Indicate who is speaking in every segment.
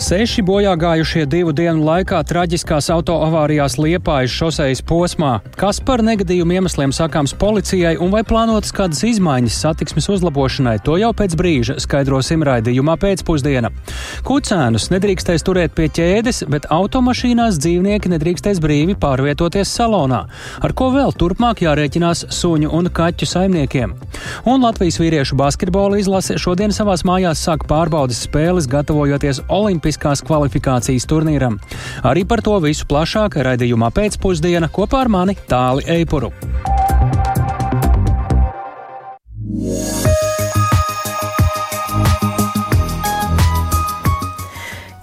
Speaker 1: 6 bojā gājušie 2 dienu laikā traģiskās autoavārijās Liepājas šosejas posmā. Kas par negadījumu iemesliem sakāms policijai un vai plānotas kādas izmaiņas satiksmes uzlabošanai, to jau pēc brīža skaidrosim raidījumā pēcpusdiena. Kucēnus nedrīkstēs turēt pie ķēdes, bet automašīnās dzīvnieki nedrīkstēs brīvi pārvietoties salonā. Ar ko vēl turpmāk jārēķinās suņu un kaķu saimniekiem? Un Latvijas vīriešu basketbola izlase šodien savās mājās sāk pārbaudes spēles, gatavojoties olimpiskās kvalifikācijas turnīram. Arī par to visu plašāk raidījumā pēcpusdiena kopā ar mani Tāli Eipuru.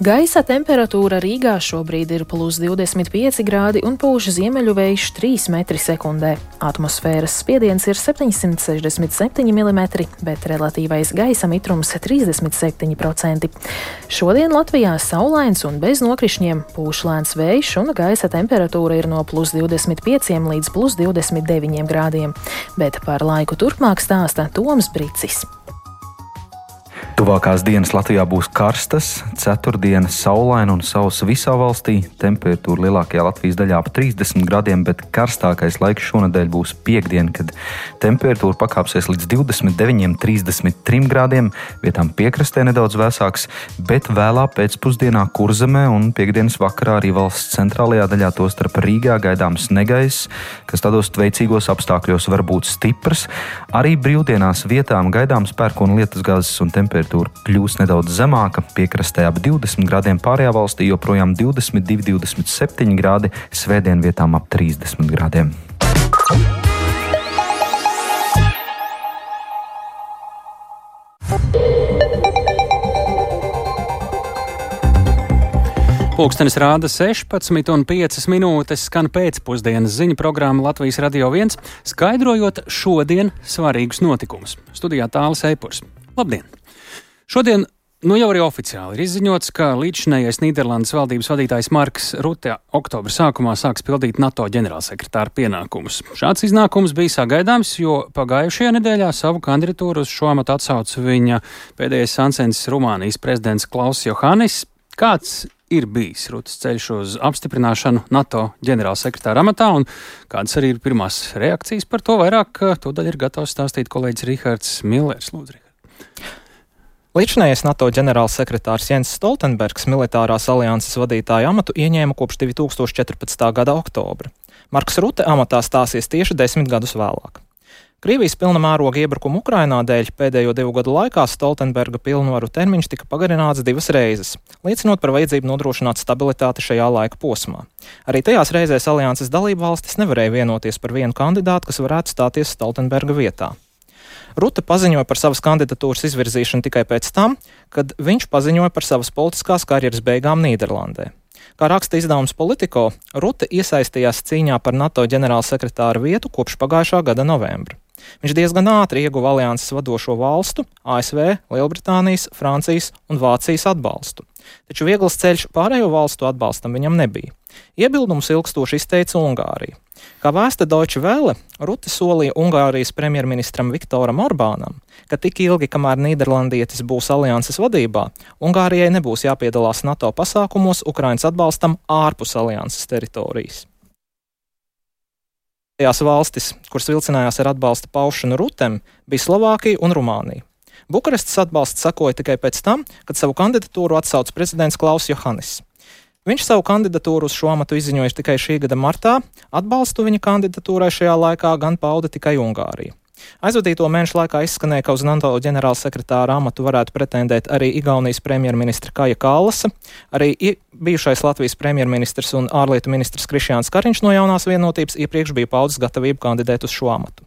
Speaker 2: Gaisa temperatūra Rīgā šobrīd ir plus 25 grādi un pūš ziemeļu vējš 3 metri sekundē. Atmosfēras spiediens ir 767 mm, bet relatīvais gaisa mitrums 37%. Šodien Latvijā saulains un bez nokrišņiem, pūš lēns vējš un gaisa temperatūra ir no plus 25 līdz plus 29 grādiem. Bet par laiku turpmāk stāsta Toms Bricis.
Speaker 3: Tuvākās dienas Latvijā būs karstas, ceturtdiena saulaina un sausa visā valstī. Temperatūra lielākajā Latvijas daļā ap 30 grādiem, bet karstākais laiks šonedēļ būs piektdiena, kad temperatūra pakāpsies līdz 29–33 grādiem, vietām piekrastē nedaudz vēsāks, bet vēlā pēcpusdienā Kurzemē un piektdienas vakarā arī valsts centrālajā daļā, tostarp Rīgā, gaidāms negaiss, kas tādos veicīgos apstākļos var būt stiprs. Arī brīvdienās vietām gaidāms pērkona lietusgāzes un temperatūra kļūs nedaudz zemāka, piekrastē ap 20 grādiem, pārējā valstī joprojām 22–27 grādi, svētdien vietām ap 30 grādiem.
Speaker 1: Pulkstenis rāda 16,5 skan pēcpusdienas ziņu programma Latvijas Radio 1, skaidrojot šodien svarīgus notikumus. Studijā Tālis Eipurs. Labdien! Šodien jau arī oficiāli ir izziņots, ka līdzšinējais Nīderlandes valdības vadītājs Marks Rutte oktobra sākumā sāks pildīt NATO ģenerālsekretāra pienākumus. Šāds iznākums bija sagaidāms, jo pagājušajā nedēļā savu kandidatūru uz šo amatu atsauca viņa pēdējais sancensis Rumānijas prezidents Klauss Johannis. Kāds ir bijis Ruttes ceļš uz apstiprināšanu NATO ģenerālsekretāra amatā un kādas arī ir pirmās reakcijas par to? Vairāk tūdaļ ir gatavs stāstīt kolēģis Rihards Millers. Lūdzu, Rihard.
Speaker 4: Līdzinājais NATO ģenerālsekretārs Jens Stoltenbergs militārās alianses vadītāja amatu ieņēma kopš 2014. gada oktobra. Marks Rutte amatā stāsies tieši 10 gadus vēlāk. Krievijas pilna mēroga iebrukuma Ukrainā dēļ pēdējo 2 gadu laikā Stoltenberga pilnvaru termiņš tika pagarināts 2 reizes, liecinot par vajadzību nodrošināt stabilitāti šajā laika posmā. Arī tajās reizēs alianses dalību valstis nevarēja vienoties par vienu kandidātu, kas varētu stāties Stoltenberga vietā. Rutte paziņoja par savas kandidatūras izvirzīšanu tikai pēc tam, kad viņš paziņoja par savas politiskās karjeras beigām Nīderlandē. Kā raksta izdevums Politico, Rutte iesaistījās cīņā par NATO ģenerālsekretāra vietu kopš pagājušā gada novembra. Viņš diezgan ātri ieguva alianses vadošo valstu, ASV, Lielbritānijas, Francijas un Vācijas atbalstu. Taču viegls ceļš pārējo valstu atbalstam viņam nebija. Iebildumus ilgstoši izteica Ungārija. Kā vēsta Deutsche Welle, Rutte solīja Ungārijas premjerministram Viktoram Orbānam, ka tik ilgi, kamēr nīderlandietis būs alianses vadībā, Ungārijai nebūs jāpiedalās NATO pasākumos Ukrainas atbalstam ārpus alianses teritorijas. Tajās valstis, kuras vilcinājās ar atbalsta paušanu Ruttem, bija Slovākija un Rumānija. Bukarestas atbalsts sekoja tikai pēc tam, kad savu kandidatūru atsauca prezidents Klauss Johannis. Viņš savu kandidatūru uz šo amatu izziņoja tikai šī gada martā, atbalstu viņa kandidatūrai šajā laikā gan pauda tikai Ungārija. Aizvadīto mēnešu laikā izskanēja, ka uz NATO ģenerālsekretāra amatu varētu pretendēt arī Igaunijas premjerministra Kaja Kallasa, arī bijušais Latvijas premjerministrs un ārlietu ministrs Krišjāns Kariņš no Jaunās vienotības iepriekš bija paudis gatavību kandidēt uz šo amatu.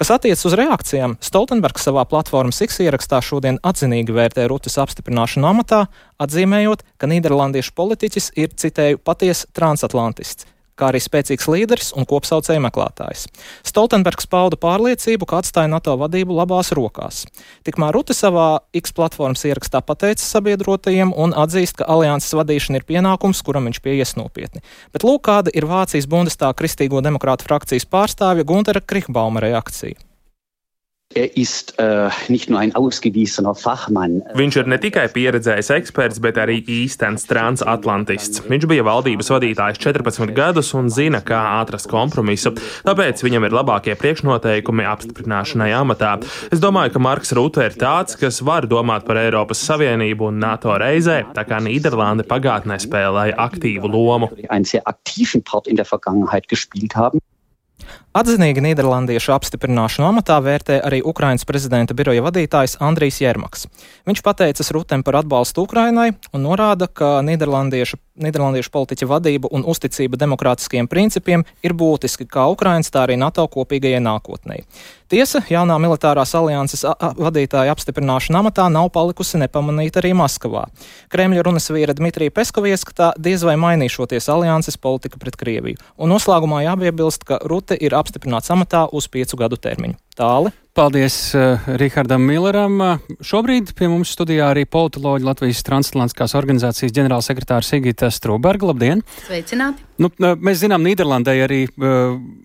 Speaker 4: Kas attiecas uz reakcijām, Stoltenbergs savā platformas X ierakstā šodien atzinīgi vērtē Ruttes apstiprināšanu amatā, atzīmējot, ka nīderlandiešu politiķis ir, citēju, patiesa transatlantists, kā arī spēcīgs līderis un kopsaucēju meklētājs. Stoltenbergs pauda pārliecību, ka atstāja NATO vadību labās rokās. Tikmēr Rutte savā X platformas ierakstā pateica sabiedrotajiem un atzīst, ka alianses vadīšana ir pienākums, kuram viņš pieies nopietni. Bet lūk, kāda ir Vācijas Bundestāga Kristīgo demokrātu frakcijas pārstāvja Guntera Krichbauma reakcija.
Speaker 5: Viņš ir ne tikai pieredzējis eksperts, bet arī īstenis transatlantists. Viņš bija valdības vadītājs 14 gadus un zina, kā atrast kompromisu. Tāpēc viņam ir labākie priekšnoteikumi apstiprināšanai amatā. Es domāju, ka Marks Rute ir tāds, kas var domāt par Eiropas Savienību un NATO reizē, tā kā Nīderlande pagātnē spēlēja aktīvu lomu.
Speaker 4: Atzinīgi nīderlandiešu apstiprināšanu amatā vērtē arī Ukrainas prezidenta biroja vadītājs Andrijs Jermaks. Viņš pateicas Rutem par atbalstu Ukrainai un norāda, ka nīderlandiešu politiķa vadība un uzticība demokrātiskiem principiem ir būtiski kā Ukrainas, tā arī NATO kopīgajai nākotnei. Tiesa, jaunā militārās alianses vadītāja apstiprināšana amatā nav palikusi nepamanīta arī Maskavā. Kremļa runas vīra Dmitrija Peskova ieskatā diez vai mainīšoties alianses politika pret Krieviju. Un noslēgumā jāpiebilst, ka Rute ir apstiprināts amatā uz 5 gadu termiņu. Tāli.
Speaker 1: Paldies Rihardam Milleram. Šobrīd pie mums studijā arī politoloģi Latvijas transatlantiskās organizācijas ģenerālsekretāra Sigita Strūberga. Labdien!
Speaker 6: Sveicināti!
Speaker 1: Mēs zinām, Nīderlandē arī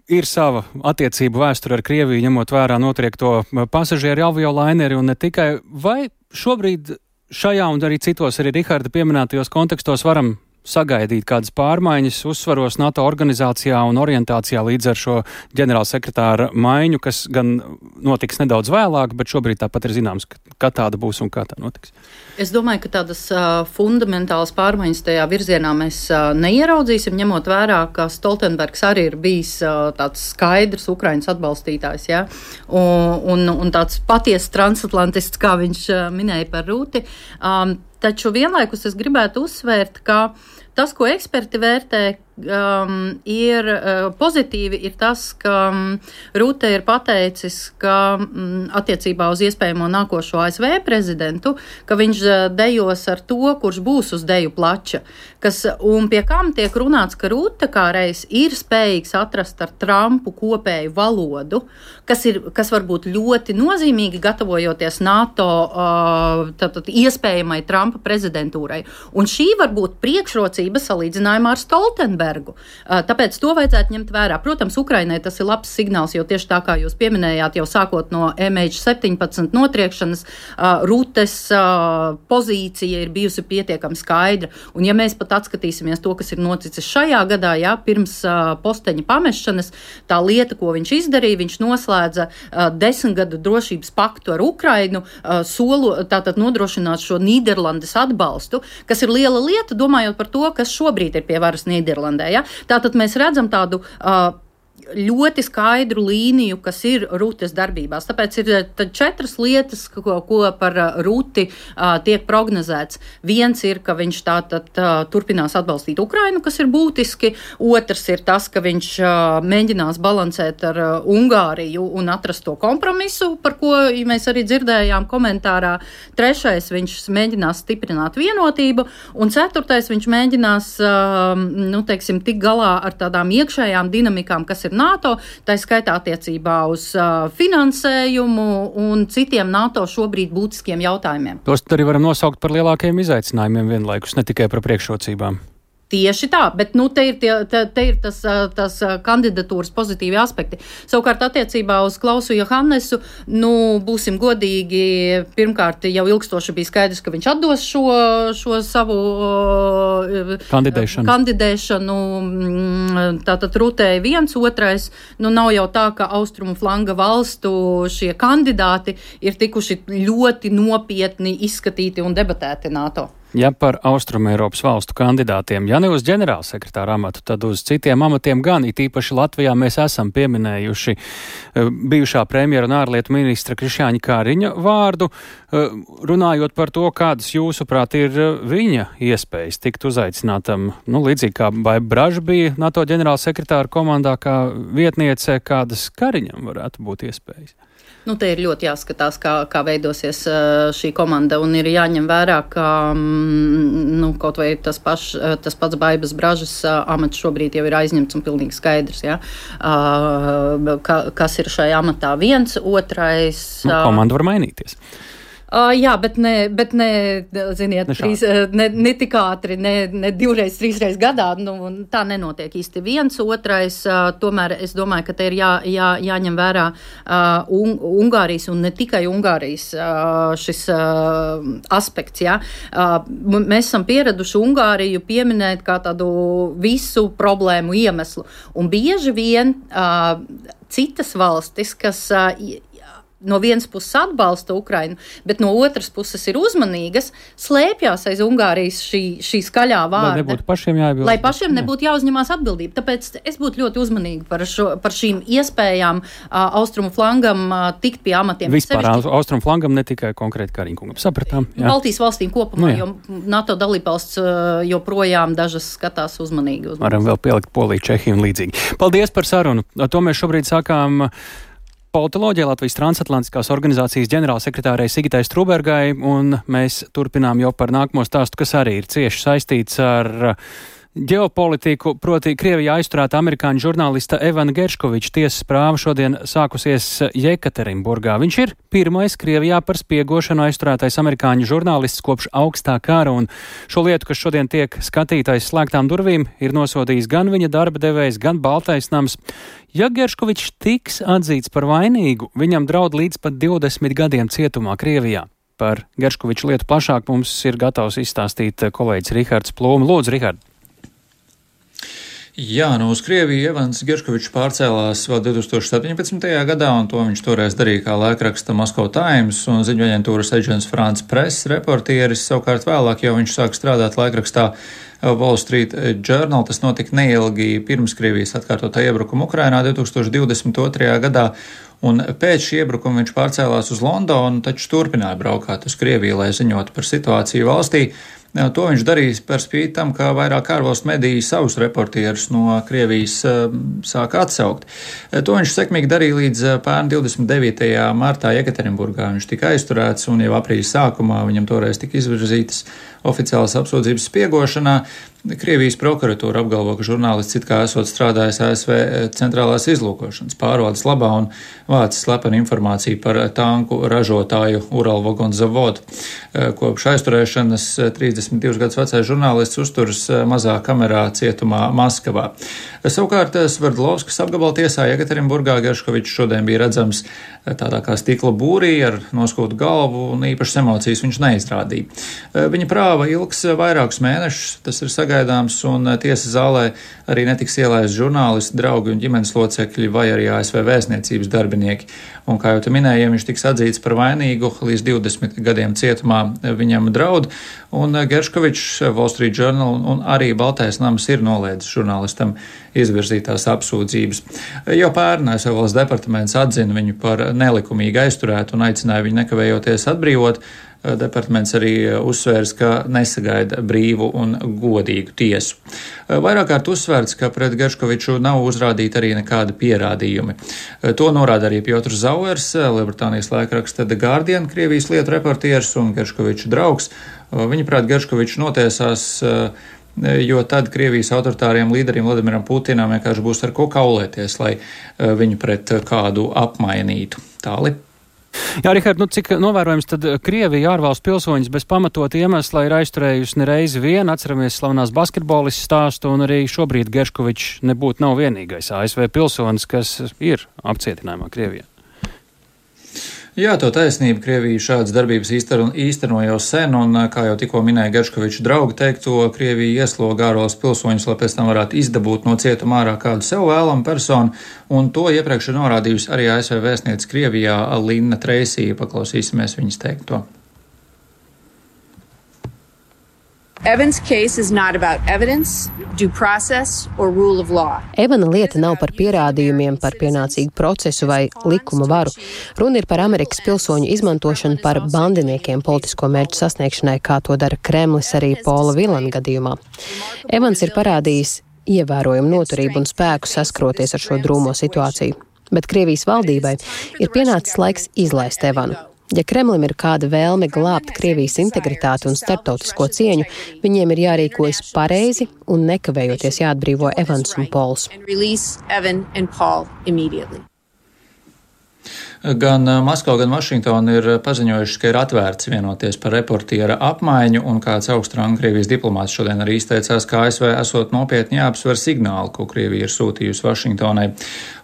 Speaker 1: ir sava attiecību vēsture ar Krieviju, ņemot vērā notriekto pasažieru aviolaineri un ne tikai. Vai šobrīd šajā un arī citos arī Riharda pieminētajos kontekstos varam sagaidīt kādas pārmaiņas uzsvaros NATO organizācijā un orientācijā līdz ar šo ģenerālsekretāra maiņu, kas gan notiks nedaudz vēlāk, bet šobrīd tāpat ir zināms, ka tāda būs un kā tā notiks?
Speaker 6: Es domāju, ka tādas fundamentālas pārmaiņas tajā virzienā mēs neieraudzīsim, ņemot vērā, ka Stoltenbergs arī ir bijis tāds skaidrs Ukrainas atbalstītājs, ja? un tāds patiesas transatlantists, kā viņš minēja par Rūti. Taču vienlaikus es gribētu uzsvērt, ka tas, ko eksperti vērtē, ir pozitīvi, ir tas, ka Rute ir pateicis, ka attiecībā uz iespējamo nākošo ASV prezidentu, ka viņš dejos ar to, kurš būs uz deju plača, un pie kam tiek runāts, ka Rute kā reiz ir spējīgs atrast ar Trumpu kopēju valodu, kas var būt ļoti nozīmīgi gatavojoties NATO iespējamai Trumpa prezidentūrai. Un šī var būt priekšrocība salīdzinājumā ar Stoltenbergu. Tāpēc to vajadzētu ņemt vērā. Protams, Ukrainai tas ir labs signāls, jo tieši tā kā jūs pieminējāt, jau sākot no MH17 notriekšanas, Rutes pozīcija ir bijusi pietiekami skaidra. Un ja mēs pat atskatīsimies to, kas ir noticis šajā gadā, pirms posteņa pamešanas, tā lieta, ko viņš izdarīja, viņš noslēdza 10 gadu drošības paktu ar Ukrainu, tātad nodrošināt šo Nīderlandes atbalstu, kas ir liela lieta, domājot par to, kas šobrīd ir pie varas Nīderlandē. Ja? Tātad mēs redzam tādu ļoti skaidru līniju, kas ir Rutes darbībās. Tāpēc ir 4 lietas, ko par Ruti tiek prognozēts. Viens ir, ka viņš tātad turpinās atbalstīt Ukrainu, kas ir būtiski. Otrs ir tas, ka viņš mēģinās balansēt ar Ungāriju un atrast to kompromisu, par ko mēs arī dzirdējām komentārā. Trešais, viņš mēģinās stiprināt vienotību. Un ceturtais, viņš mēģinās, tikt galā ar tādām iekšējām dinamikām, kas ir NATO, tā skaitā attiecībā uz finansējumu un citiem NATO šobrīd būtiskiem jautājumiem.
Speaker 1: Tos arī varam nosaukt par lielākajiem izaicinājumiem vienlaikus, ne tikai par priekšrocībām.
Speaker 6: Tieši tā, bet te ir tas kandidatūras pozitīvi aspekti. Savukārt attiecībā uz Klausu Johannesu, būsim godīgi, pirmkārt jau ilgstoši bija skaidrs, ka viņš atdos šo savu kandidēšanu. Tātad Rutei viens, otrais, nav jau tā, ka austrumu flanga valstu šie kandidāti ir tikuši ļoti nopietni izskatīti un debatēti NATO.
Speaker 1: Ja par Austrumu Eiropas valstu kandidātiem, ja ne uz ģenerālsekretāra amatu, tad uz citiem amatiem gan, it īpaši Latvijā mēs esam pieminējuši bijušā premjera un ārlietu ministra Krišjāņa Kariņa vārdu, runājot par to, kādas jūsuprāt ir viņa iespējas tikt uzaicinātam, līdzīgi kā Baiba Braža bija NATO ģenerālsekretāra komandā kā vietniece, kādas Kariņam varētu būt iespējas?
Speaker 6: Te ir ļoti jāskatās, kā veidosies šī komanda, un ir jāņem vērā, ka kaut vai tas pats Baibas Bražas amats šobrīd jau ir aizņemts un pilnīgi skaidrs, kas ir šajā amatā. Viens, otrais.
Speaker 1: Komanda var mainīties.
Speaker 6: Jā, bet ne ziniet, ne tik ātri, ne 2-3 gadā, tā nenotiek īsti viens, otrais, tomēr es domāju, ka te ir jāņem vērā Ungārijas un ne tikai Ungārijas šis aspekts, jā. Mēs esam pieraduši Ungāriju pieminēt kā tādu visu problēmu iemeslu, un bieži vien citas valstis, kas no vienas puses atbalsta Ukrainu, bet no otras puses ir uzmanīgas, slēpjās aiz Ungārijas šī skaļā vārda. Lai pašiem nebūtu jāuzņemās atbildība. Tāpēc es būtu ļoti uzmanīga par šīm iespējām austrumu flangam tikt pie amatiem.
Speaker 1: Vispār austrumu flangam, ne tikai konkrēti Kariņkungam. Sapratām. Jā.
Speaker 6: Baltijas valstīm kopumā, jo NATO dalībvalsts joprojām dažas skatās uzmanīgi.
Speaker 1: Varam vēl pielikt Poliju, Čehiju un līdzīgi. Paldies par sarunu. To mēs šobrīd sākām politoloģija Latvijas transatlantiskās organizācijas ģenerālsekretārai Sigitai Strūbergai, un mēs turpinām jau par nākamo stāstu, kas arī ir cieši saistīts ar ģeopolitiku, proti Krievijā aizturēta amerikāņu žurnālista Evana Gerškoviča tiesas prāva šodien sākusies Jekaterinburgā. Viņš ir pirmais Krievijā par spiegošanu aizturētais amerikāņu žurnālists kopš augstā kara, un šo lietu, kas šodien tiek skatītais slēgtām durvīm, ir nosodījis gan viņa darba devējs, gan Baltais nams. Ja Gerškovičs tiks atzīts par vainīgu, viņam draud līdz pat 20 gadiem cietumā Krievijā. Par Gerškoviča lietu plašāk mums ir gatavs izstāstīt kolēģis Rihards Plūme. Lūdzu, Rihard!
Speaker 7: Jā, uz Krieviju Evans Gerškovičs pārcēlās vēl 2017. gadā, un to viņš toreiz darīja kā laikraksta Moscow Times un ziņu aģentūras Agence France Press reportieris. Savukārt vēlāk jau viņš sāk strādāt laikrakstā Wall Street Journal. Tas notika neilgi pirms Krievijas atkārtotā iebrukuma Ukrainā 2022. gadā, un pēc šī iebrukuma viņš pārcēlās uz Londonu, taču turpināja braukāt uz Krieviju, lai ziņotu par situāciju valstī. To viņš darīs par spīti tam, ka vairāk ārvalstu mediji savus reportierus no Krievijas sāka atsaukt. To viņš sekmīgi darīja līdz pērn 29. martā Jekaterinburgā. Viņš tika aizturēts, un jau aprīļa sākumā viņam toreiz tika izvirzītas oficiālas apsūdzības spiegošanā. Krievijas prokuratūra apgalvo, ka žurnālists it kā esot strādājis ASV centrālās izlūkošanas pārvaldes labā un vācis slepenu informāciju par tanku ražotāju Uralvagonzavod. Kopš aizturēšanas 32 gadus vecais žurnālists uzturas mazā kamerā cietumā Maskavā. Savukārt Sverdlovskas apgabala tiesā Jekaterinburgā Gerškovičs šodien bija redzams tādā kā stikla būrī ar noskūtu galvu, un īpašas emocijas viņš neizrādīja. Viņa prāva ilgs vairākus mēnešus, tas ir sagaidāms, un tiesas zālē arī netiks ielaisti žurnālisti, draugi un ģimenes locekļi vai arī ASV vēstniecības darbinieki. Un, kā jau te minēju, ja viņš tiks atzīts par vainīgu, līdz 20 gadiem cietumā viņam draud, un Gerškovičs, Wall Street Journal un arī Baltais nams ir noliedzis žurnālistam izvirzītās apsūdzības. Jau pērn ASV valsts departaments atzina viņu par nelikumīgi aizturētu un aicināja viņu nekavējoties atbrīvot. Departaments arī uzsvērs, ka nesagaida brīvu un godīgu tiesu. Vairāk kārt uzsvērts, ka pret Gerškoviču nav uzrādīti arī nekādi pierādījumi. To norāda arī Piotrs Zauers, Lielbritānijas laikraksta The Guardian, Krievijas lietu reportieris un Gerškoviča draugs. Viņaprāt, Gerškovičs notiesās, jo tad Krievijas autoritāriem līderiem Vladimiram Putinam vienkārši būs ar ko kaulēties, lai viņu pret kādu apmainītu. Tāli.
Speaker 1: Jā, Rihard, cik novērojams tad Krievija ārvalstu pilsoņus bez pamatot iemesla ir aizturējusi nereizi vien, atceramies slavenās basketbolistu stāstu, un arī šobrīd Gerškovičs nav vienīgais ASV pilsonis, kas ir apcietinājumā Krievijā. Jā,
Speaker 7: to taisnība. Krievija šādas darbības īsteno jau sen, un, kā jau tikko minēja Gerškoviča draugi teikto, Krievija iesloga ārvalstu pilsoņus, lai pēc tam varētu izdabūt no cietuma ārā kādu sev vēlamu personu, un to iepriekš ir norādījusi arī ASV vēstniece Krievijā Linna Treisija. Paklausīsimies viņas teikto.
Speaker 8: Evans' case is not about evidence, due process or rule of law.
Speaker 9: Evana lieta nav par pierādījumiem, par pienācīgu procesu vai likuma varu. Runa ir par Amerikas pilsoņu izmantošanu par bandiniekiem politisko mērķu sasniegšanai, kā to dara Kremlis arī Pola Vilana gadījumā. Evans ir parādījis ievērojumu noturību un spēku saskroties ar šo drūmo situāciju. Bet Krievijas valdībai ir pienācis laiks izlaist Evanu. Ja Kremlim ir kāda vēlme glābt Krievijas integritāti un starptautisko cieņu, viņiem ir jārīkojas pareizi un nekavējoties jāatbrīvo Evans un Pols.
Speaker 7: Gan Maskava, gan Vašingtona ir paziņojušas, ka ir atvērts vienoties par reportiera apmaiņu, un kāds augstranga Krievijas diplomāts šodien arī izteicās, ka ASV esot nopietni jāapsver signāli, ko Krievija ir sūtījusi Vašingtonai.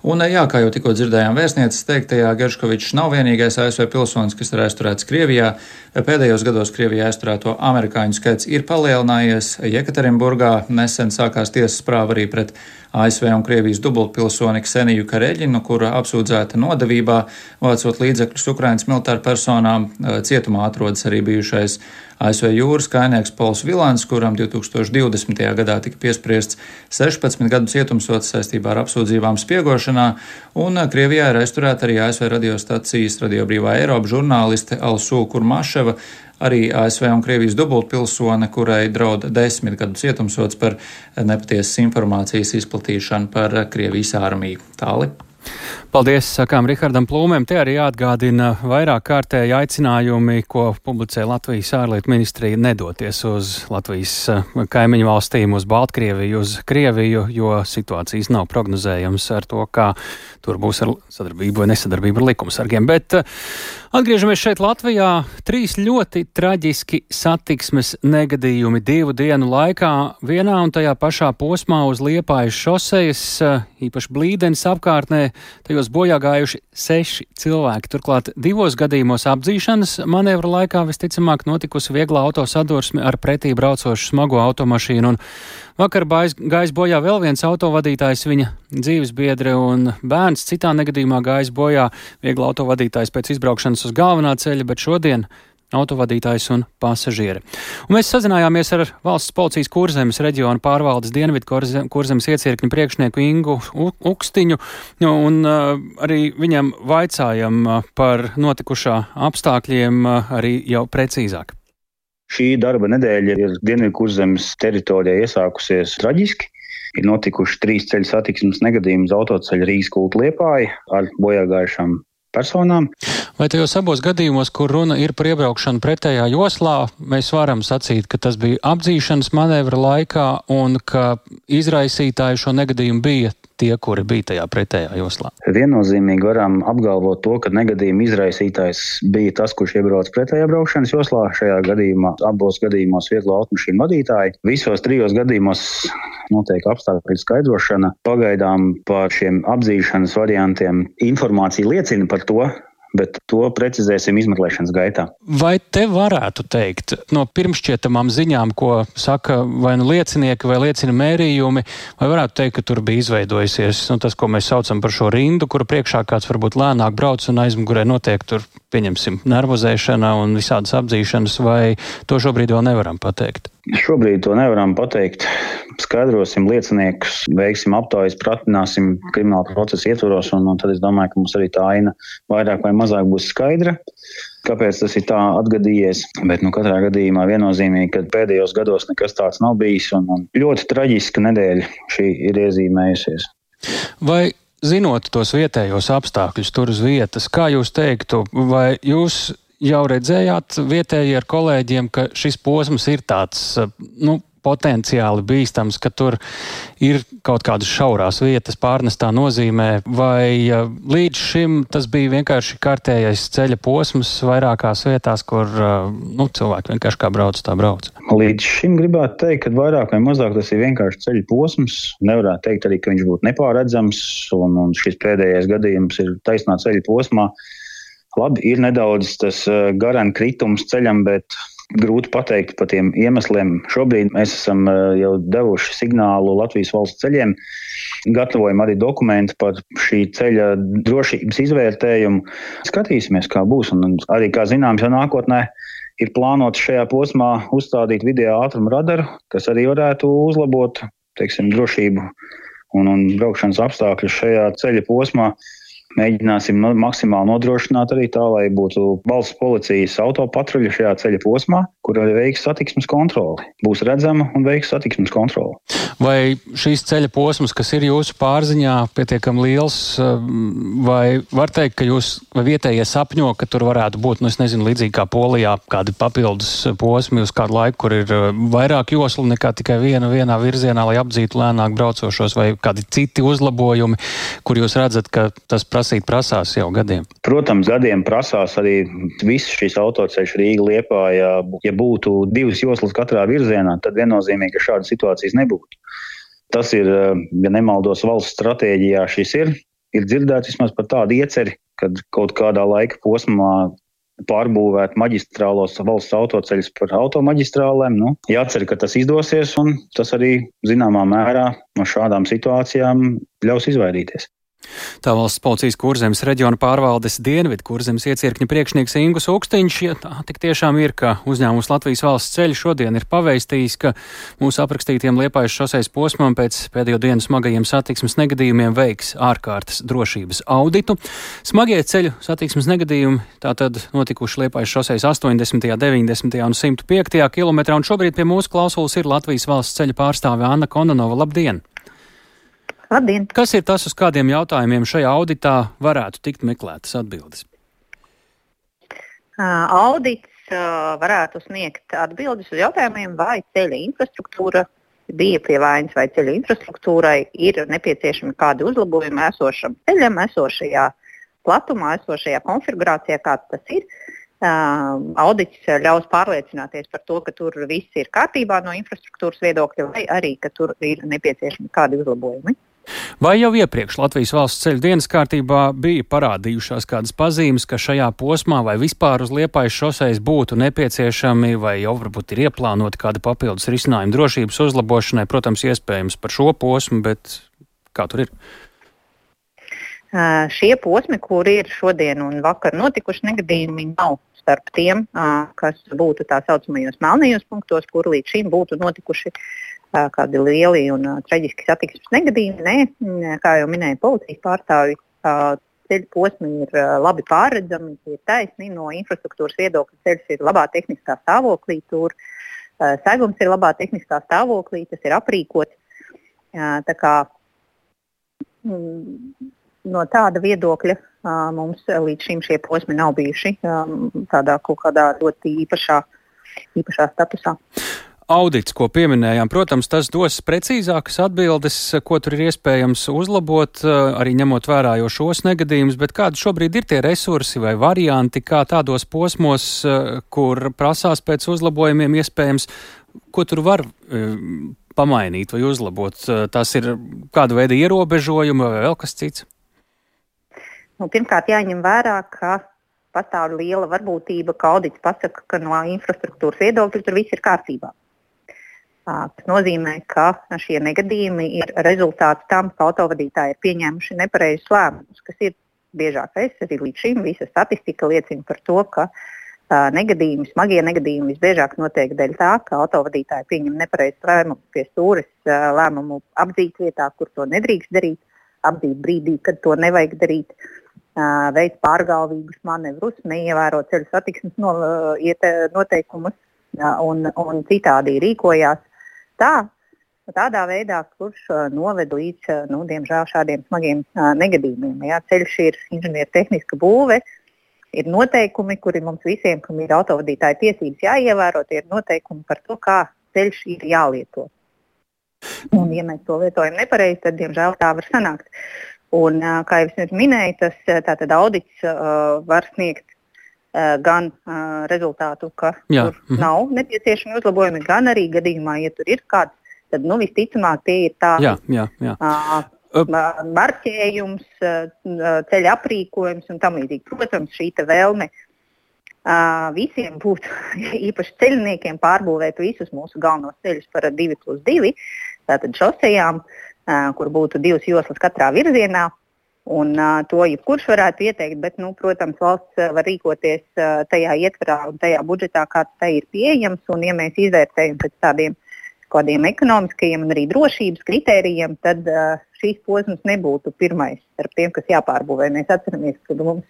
Speaker 7: Un jā, kā jau tikko dzirdējām vēstnieces teiktajā, Gerškovičs nav vienīgais ASV pilsonis, kas ir aizturēts Krievijā. Pēdējos gados Krievijā aizturēto amerikāņu skaits ir palielinājies. Jekaterinburgā nesen sākās tiesas prāva arī pret ASV un Krievijas dubultpilsoni Kseniju Kareļinu, kura apsūdzēta nodevībā, vācot līdzekļus Ukrainas militāru personām. Cietumā atrodas arī bijušais ASV jūras kājnieks Pols Vilans, kuram 2020. gadā tika piespriests 16 gadu cietumsods saistībā ar apsūdzībām spiegošanā, un Krievijā ir aizturēta arī ASV radiostacijas Radio Brīvā Eiropa žurnāliste Alsū Kurmaševa, arī ASV un Krievijas dubultpilsone, kurai draud 10 gadu cietumsods par nepatiesas informācijas izplatīšanu par Krievijas armiju. Tāli.
Speaker 1: Paldies, sakām Rihardam Plūmēm. Te arī jāatgādina vairāk kārtēji aicinājumi, ko publicē Latvijas ārlietu ministrija nedoties uz Latvijas kaimiņu valstīm, uz Baltkrieviju, uz Krieviju, jo situācijas nav prognozējams ar to, kā tur būs ar sadarbību vai nesadarbību ar likumsargiem. Bet atgriežamies šeit Latvijā. 3 ļoti traģiski satiksmes negadījumi 2 dienu laikā vienā un tajā pašā posmā uz Liepājas šosejas, īpaši Blīdenes apkārtnē. Tajos bojā gājuši 6 cilvēki. Turklāt 2 gadījumos apdzīšanas manevra laikā visticamāk notikusi viegla autosadursme ar pretī braucošu smago automašīnu. Un vakar gājis bojā vēl viens autovadītājs, viņa dzīvesbiedre un bērns. Citā negadījumā gājis bojā viegla autovadītājs pēc izbraukšanas uz galvenā ceļa, bet šodien autovadītājs un pasažieri. Un mēs sazinājāmies ar valsts policijas Kurzemes reģiona pārvaldes Dienvidu Kurzemes iecirkņu priekšnieku Ingu Ukstiņu, un arī viņam vaicājam par notikušā apstākļiem arī jau precīzāk.
Speaker 10: Šī darba nedēļa ir Dienvidu Kurzemes teritorijā iesākusies traģiski. Ir notikuši 3 ceļu satiksmes negadījumi uz autoceļa Rīgas Kulta Liepāja ar bojāgājušām personām.
Speaker 1: Vai tajos abos gadījumos, kur runa ir par iebraukšanu pretējā joslā, mēs varam sacīt, ka tas bija apdzīšanas manevra laikā un ka izraisītāji šo negadījumu bija tie, kuri bija tajā pretējā joslā?
Speaker 10: Viennozīmīgi varam apgalvot to, ka negadījuma izraisītājs bija tas, kurš iebrauc pretējā braukšanas joslā. Šajā gadījumā, abos gadījumos vieglo automašīnu vadītāji. Visos 3 gadījumos notiek apstākļu skaidrošana. Pagaidām par šiem apdzīšanas variantiem informācija liecina par to, bet to precizēsim izmeklēšanas gaitā.
Speaker 1: Vai te varētu teikt, no pirmšķietamām ziņām, ko saka vai nu liecinieki vai liecina mērījumi, vai varētu teikt, ka tur bija izveidojusies tas, ko mēs saucam par šo rindu, kura priekšā kāds varbūt lēnāk brauc un aizmugurē notiek tur, pieņemsim, nervozēšana un visādas apdzīšanas, vai to šobrīd vēl nevaram pateikt?
Speaker 10: Šobrīd to nevaram pateikt. Skaidrosim lieciniekus, veiksim aptaujas, pratināsim krimināla procesa ietvaros, un tad es domāju, ka mums arī tā aina vairāk vai mazāk būs skaidra, kāpēc tas ir tā atgadījies. Bet katrā gadījumā viennozīmīgi, ka pēdējos gados nekas tāds nav bijis, un ļoti traģiska nedēļa šī ir iezīmējusies.
Speaker 1: Vai zinot tos vietējos apstākļus tur uz vietas, kā jūs teiktu, vai jūs jau redzējāt vietēji ar kolēģiem, ka šis posms ir tāds, potenciāli bīstams, ka tur ir kaut kādas šaurās vietas pārnestā nozīmē, vai līdz šim tas bija vienkārši kārtējais ceļa posms vairākās vietās, kur cilvēki vienkārši kā brauc, tā brauc?
Speaker 10: Līdz šim gribētu teikt, ka vairāk vai mazāk tas ir vienkārši ceļa posms. Nevarētu teikt arī, ka viņš būtu nepārredzams, un šis pēdējais gadījums ir taisnā ceļa posmā. Labi, ir nedaudz tas garan kritums ceļam, bet grūti pateikt par tiem iemesliem. Šobrīd mēs esam jau devuši signālu Latvijas valsts ceļiem, gatavojam arī dokumentu par šī ceļa drošības izvērtējumu. Skatīsimies, kā būs, un arī, kā zināms, jau nākotnē ir plānots šajā posmā uzstādīt video ātruma radaru, kas arī varētu uzlabot, drošību un braukšanas apstākļus šajā ceļa posmā. Mēģināsim maksimāli nodrošināt arī tā, lai būtu valsts policijas autopatruļa šajā ceļa posmā, kur arī veiks satiksmes kontroli. Būs redzama un veiks satiksmes kontroli.
Speaker 1: Vai šīs ceļa posms, kas ir jūsu pārziņā, pietiekami liels, vai var teikt, ka jūs vai vietējie sapņo, ka tur varētu būt, līdzīgi kā Polijā, kādi papildus posmi uz kādu laiku, kur ir vairāk joslu nekā tikai vienā virzienā, lai apdzītu lēnāk braucošos, vai kādi citi uzlabojumi, kur jūs redzat, ka tas prasīs prasīt prasās jau gadiem?
Speaker 10: Protams, gadiem prasās arī viss šis autoceļš Rīga-Liepāja. Ja būtu 2 joslas katrā virzienā, tad viennozīmīgi, ka šādas situācijas nebūtu. Tas ir, ja nemaldos, valsts stratēģijā šis ir dzirdēts vismaz par tādu ieceri, kad kaut kādā laika posmā pārbūvēt maģistrālos valsts autoceļus par automaģistrālēm. Jācer, ka tas izdosies, un tas arī zināmā mērā no šādām situācijām ļaus izvairīties.
Speaker 1: Tā valsts policijas Kurzemes reģiona pārvaldes Dienvidu Kurzemes iecirkņa priekšnieks Ingus Ukstiņš, ja tā tik tiešām ir, ka uzņēmums Latvijas valsts ceļi šodien ir pavēstījis, ka mūsu aprakstītiem Liepājas šoseis posmam pēc pēdējo dienu smagajiem satiksmes negadījumiem veiks ārkārtas drošības auditu. Smagie ceļu satiksmes negadījumi tātad notikuši Liepājas šoseis 80., 90. un 105. kilometrā, un šobrīd pie mūsu klausulas ir Latvijas valsts ceļa pārstāve Anna Kononova. Labdien!
Speaker 11: Labdien!
Speaker 1: Kas ir tas, uz kādiem jautājumiem šajā auditā varētu tikt meklētas atbildes?
Speaker 11: Audits varētu sniegt atbildes uz jautājumiem, vai ceļa infrastruktūra bija pie vainas, vai ceļa infrastruktūrai ir nepieciešami kādi uzlabojumi esošam ceļam, esošajā platumā, esošajā konfigurācijā, kāds tas ir. Audits ļaus pārliecināties par to, ka tur viss ir kārtībā no infrastruktūras viedokļa, vai arī, ka tur ir nepieciešami kādi uzlabojumi.
Speaker 1: Vai jau iepriekš Latvijas valsts ceļu dienas kārtībā bija parādījušās kādas pazīmes, ka šajā posmā vai vispār uz Liepājas šoseis būtu nepieciešami, vai jau varbūt ir ieplānoti kādi papildus risinājumi drošības uzlabošanai, protams, iespējams par šo posmu, bet kā tur ir?
Speaker 11: Šie posmi, kur ir šodien un vakar notikuši negadījumi, nav starp tiem, kas būtu tā saucamajos melnajos punktos, kur līdz šim būtu notikuši kādi lieli un traģiski satiksmes negadījumi. Nē, kā jau minēja policijas pārstāvji, ceļu posmi ir labi pārredzami, ir taisni no infrastruktūras viedokļa. Ceļš ir labā tehniskā stāvoklī, tur segums ir labā tehniskā stāvoklī, tas ir aprīkots. Tā kā no tāda viedokļa mums līdz šim šie posmi nav bijuši tādā kaut kādā ļoti īpašā statusā.
Speaker 1: Audits, ko pieminējām, protams, tas dos precīzākas atbildes, ko tur ir iespējams uzlabot, arī ņemot vērā jau šos negadījumus, bet kādi šobrīd ir tie resursi vai varianti, kā tādos posmos, kur prasās pēc uzlabojumiem iespējams, ko tur var pamainīt vai uzlabot? Tas ir kāda veida ierobežojumi vai vēl kas cits?
Speaker 11: Pirmkārt, jāņem vērā, ka pastāv liela varbūtība, ka audits pasaka, ka no infrastruktūras viedokļa tur viss ir kārtībā. Tas nozīmē, ka šie negadījumi ir rezultāts tam, ka autovadītāji ir pieņēmuši nepareizus lēmumus, kas ir biežākais. Arī līdz šim visa statistika liecina par to, ka smagie negadījumi visbiežāk notiek dēļ tā, ka autovadītāji pieņem nepareizus lēmumus pie stūres, lēmumu apdzīt vietā, kur to nedrīkst darīt, apdzīt brīdī, kad to nevajag darīt, veids pārgalvīgus manevrus, neievēro ceļu satiksmes noteikumus un citādi rīkojās. Tādā veidā, kurš noved līdz, diemžēl, šādiem smagiem negadījumiem. Jā, ceļš ir inženiertehniska būve, ir noteikumi, kuri mums visiem, kam ir autovadītāja tiesības jāievēro, tie ir noteikumi par to, kā ceļš ir jālieto. Un, ja mēs to lietojam nepareizi, tad, diemžēl, tā var sanākt. Un, kā jau es minēju, tas tātad audits var sniegt gan rezultātu, ka tur nav nepieciešami uzlabojumi, gan arī gadījumā, ja tur ir kāds, tad visticamāk tie ir tā marķējums, ceļa aprīkojums un tam līdzīgi. Protams, šī vēlme visiem būtu, īpaši ceļniekiem, pārbūvēt visus mūsu galvenos ceļus par 2+2, tātad šosejām, kur būtu 2 joslas katrā virzienā. Un to jebkurš varētu ieteikt, bet, protams, valsts var rīkoties tajā ietverā un tajā budžetā, kāds tai ir pieejams. Un, ja mēs izvērtējam pēc kādiem ekonomiskajiem un arī drošības kritērijiem, tad šīs posms nebūtu pirmais starp tiem, kas jāpārbūvē. Mēs atceramies, ka mums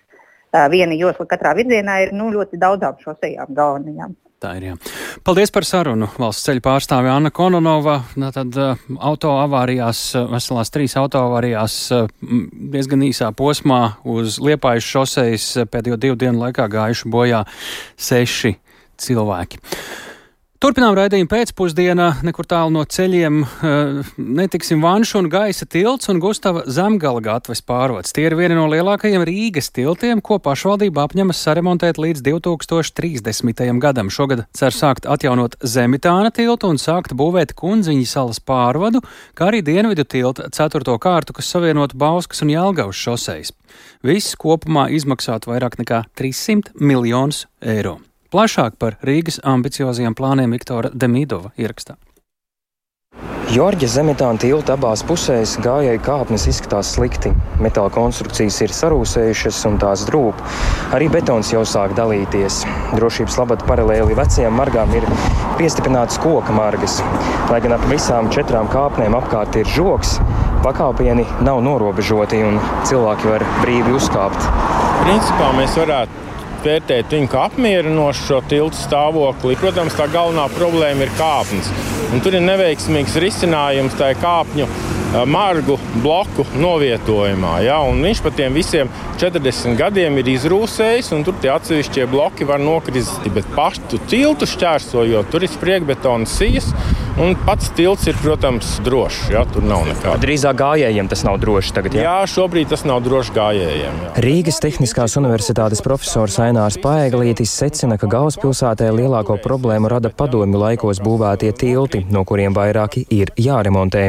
Speaker 11: viena josla katrā virzienā ir ļoti daudzām šosejām galvenajām.
Speaker 1: Tā ir, jā. Paldies par sarunu. Valsts ceļu pārstāve Anna Kononova. Tad autoavārijās, veselās 3 autoavārijās diezgan īsā posmā uz Liepājas šoseis pēdējo 2 dienu laikā gājuši bojā 6 cilvēki. Turpinām raidījumu pēcpusdienā, nekur tālu no ceļiem netiksim Vanšu un Gaisa tilts un Gustava Zemgala gatves pārvads. Tie ir vieni no lielākajiem Rīgas tiltiem, ko pašvaldība apņemas saremontēt līdz 2030. gadam. Šogad cer sākt atjaunot Zemitāna tiltu un sākt būvēt Kundziņas salas pārvadu, kā arī Dienvidu tilta 4. kārtu, kas savienotu Bauskas un Jelgavas šosejas. Viss kopumā izmaksātu vairāk nekā 300 miljonus eiro. Plašāk par Rīgas ambiciozajiem plāniem Viktora Demidova ierakstā.
Speaker 12: Jorģa Zemitāna tilta abās pusēs gājēju kāpnes izskatās slikti. Metāla konstrukcijas ir sarūsējušas un tās drūp. Arī betons jau sāk dalīties. Drošības labad paralēli vecajām margām ir piestiprinātas koka margas. Lai gan ap visām 4 kāpnēm apkārt ir žogs, pakāpieni nav norobežoti un cilvēki var brīvi uzkāpt.
Speaker 13: Principā mēs varētu vērtēt viņu kā apmierinošu šo tiltu stāvokli. Protams, tā galvenā problēma ir kāpnes. Un tur ir neveiksmīgs risinājums tā kāpņu margu bloku novietojumā. Ja? Un viņš pa tiem visiem 40 gadiem ir izrūsējis, un tur tie atsevišķie bloki var nokrist. Bet pašu tiltu šķērsojot, tur ir spriekbetona sijas, un pats tilts ir, protams, drošs. Ja? Tur nav nekāda.
Speaker 12: Drīzāk gājējiem tas nav droši tagad, ja?
Speaker 13: Jā, šobrīd tas nav droši gājējiem. Ja.
Speaker 12: Rīgas Tehniskās universitātes profesors Ainārs Paeglītis secina, ka galvaspilsētē lielāko problēmu rada padomju laikos būvētie tilti, no kuriem vairāki ir jāremontē.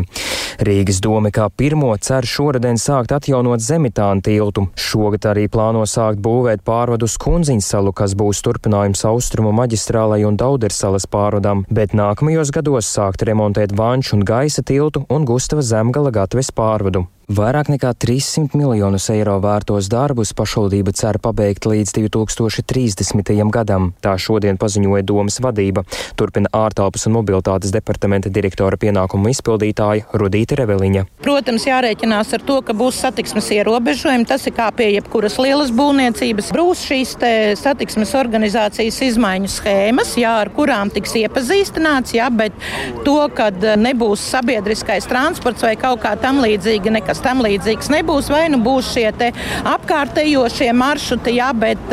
Speaker 12: Rīgas dome kā pirmo cer šoruden sākt atjaunot Zemitāna tiltu. Šogad arī plāno sākt būvēt pārvadu uz Kundziņas salu, kas būs turpinājums Austrumu maģistrālai un Daudersalas pārvadam, bet nākamajos gados sākt remontēt Vanšu un Gaisa tiltu un Gustava Zemgala gatves pārvadu. Vairāk nekā 300 miljonus eiro vērtos darbus pašvaldība cer pabeigt līdz 2030. gadam. Tā šodien paziņoja domes vadība. Turpina ārtelpas un mobilitātes departamenta direktora pienākumu izpildītāja Rudīte Reveliņa.
Speaker 14: Protams, jārēķinās ar to, ka būs satiksmes ierobežojumi. Tas ir kā pie jebkuras lielas būvniecības. Būs šīs satiksmes organizācijas izmaiņu schēmas, ar kurām tiks iepazīstināts, bet to, kad nebūs sabiedriskais transports vai kaut kā tam līdzīga, nekas tam līdzīgs nebūs, vai būs šie apkārtējošie maršruti, bet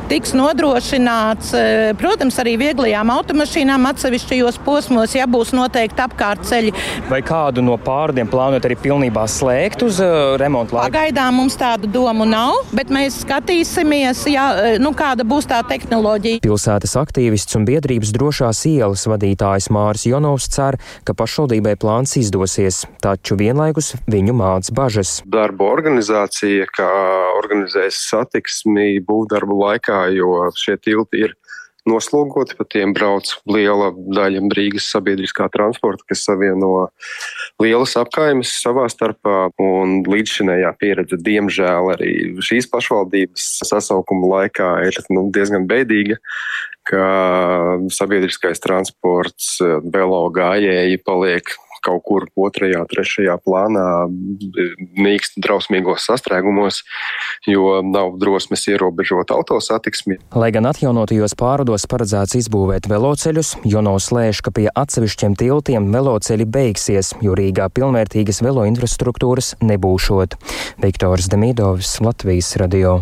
Speaker 14: tiks nodrošināts, protams, arī vieglajām automašīnām atsevišķajos posmos, būs noteikti apkārtceļi.
Speaker 12: Vai kādu no pārvadiem plānojat arī pilnībā slēgt uz remontu laiku?
Speaker 14: Pagaidām mums tādu domu nav, bet mēs skatīsimies, kāda būs tā tehnoloģija.
Speaker 12: Pilsētas aktīvists un biedrības drošās ielas vadītājs Māris Jonovs cer, ka pašvaldībai plāns izdosies, taču vienlaikus viņu māc bažas.
Speaker 15: Darba organizācija, kā organizēs satiksmi būvdarbu laikā, jo šie tilti ir noslogoti, pa tiem brauc liela daļa Rīgas sabiedriskā transporta, kas savieno lielas apkaimes savā starpā, un līdzšinējā pieredze, diemžēl, arī šīs pašvaldības sasaukuma laikā ir diezgan bēdīga, ka sabiedriskais transports, velo gājēji paliek kaut kur 2., 3. plānā, nīkst drausmīgos sastrēgumos, jo nav drosmes ierobežot autosatiksmi.
Speaker 12: Lai gan atjaunotajos pārvados paredzēts izbūvēt veloceļus, Jonovs lēš, ka pie atsevišķiem tiltiem veloceļi beigsies, jo Rīgā pilnvērtīgas velo infrastruktūras nebūšot. Viktors Demidovs, Latvijas radio.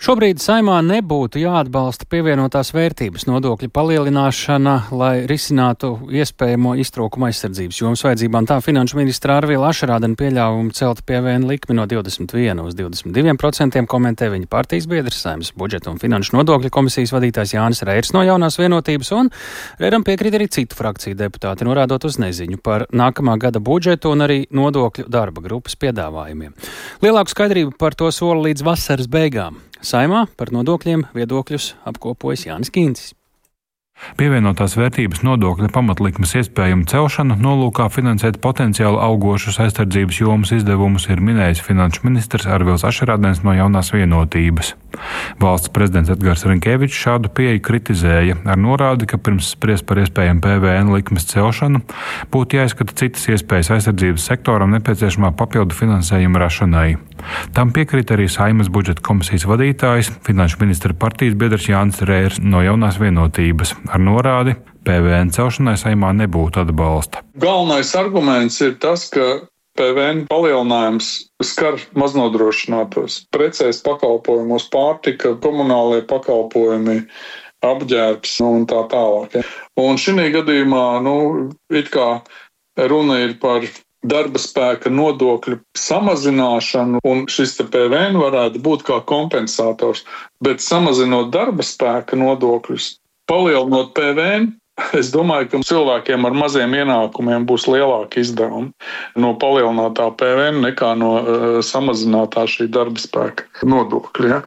Speaker 1: Šobrīd Saeimā nebūtu jāatbalsta pievienotās vērtības nodokļa palielināšana, lai risinātu iespējamo iztrūkumu aizsardzības jomas vajadzībām. Tā finanšu ministra Arvila Ašarādena pieļāvumu celt PVN likmi no 21 uz 22% komentē viņa partijas biedrs, Saeimas budžeta un finanšu nodokļu komisijas vadītājs Jānis Reirs no Jaunās vienotības, un Reiram piekrīt arī citu frakciju deputāti, norādot uz neziņu par nākamā gada budžetu un arī nodokļu darba grupas piedāvājumiem. Lielāku skaidrību par to sola līdz vasaras beigām. Saeimā par nodokļiem viedokļus apkopojas Jānis Kīncis.
Speaker 16: Pievienotās vērtības nodokļa pamatlikmes iespējamu celšanu nolūkā finansēt potenciāli augošus aizsardzības jomas izdevumus ir minējis finanšu ministrs Arvils Ašarādens no Jaunās vienotības. Valsts prezidents Edgars Rinkevičs šādu pieeju kritizēja ar norādi, ka pirms spriest par iespējamu PVN likmes celšanu būtu jāizskata citas iespējas aizsardzības sektoram nepieciešamā papildu finansējuma rašanai. Tam piekrīt arī Saeimas budžeta komisijas vadītājs, finanšu ministra partijas biedrs Jānis Reirs no Jaunās vienotības. Ar norādi, PVN celšanai Saeimā nebūtu atbalsta.
Speaker 17: Galvenais arguments ir tas, ka PVN palielinājums skar maznodrošinātos. Precēs pakalpojumos, pārtika, komunālie pakalpojumi, apģērbs un tā tālāk. Un šī gadījumā, it kā runa ir par darba spēka nodokļu samazināšanu, un šis PVN varētu būt kā kompensators. Bet samazinot darba spēka nodokļus, palielinot PVN, es domāju, ka cilvēkiem ar maziem ienākumiem būs lielāki izdevumi no palielinātā PVN nekā no samazinātā šī darba spēka nodokļa. Ja?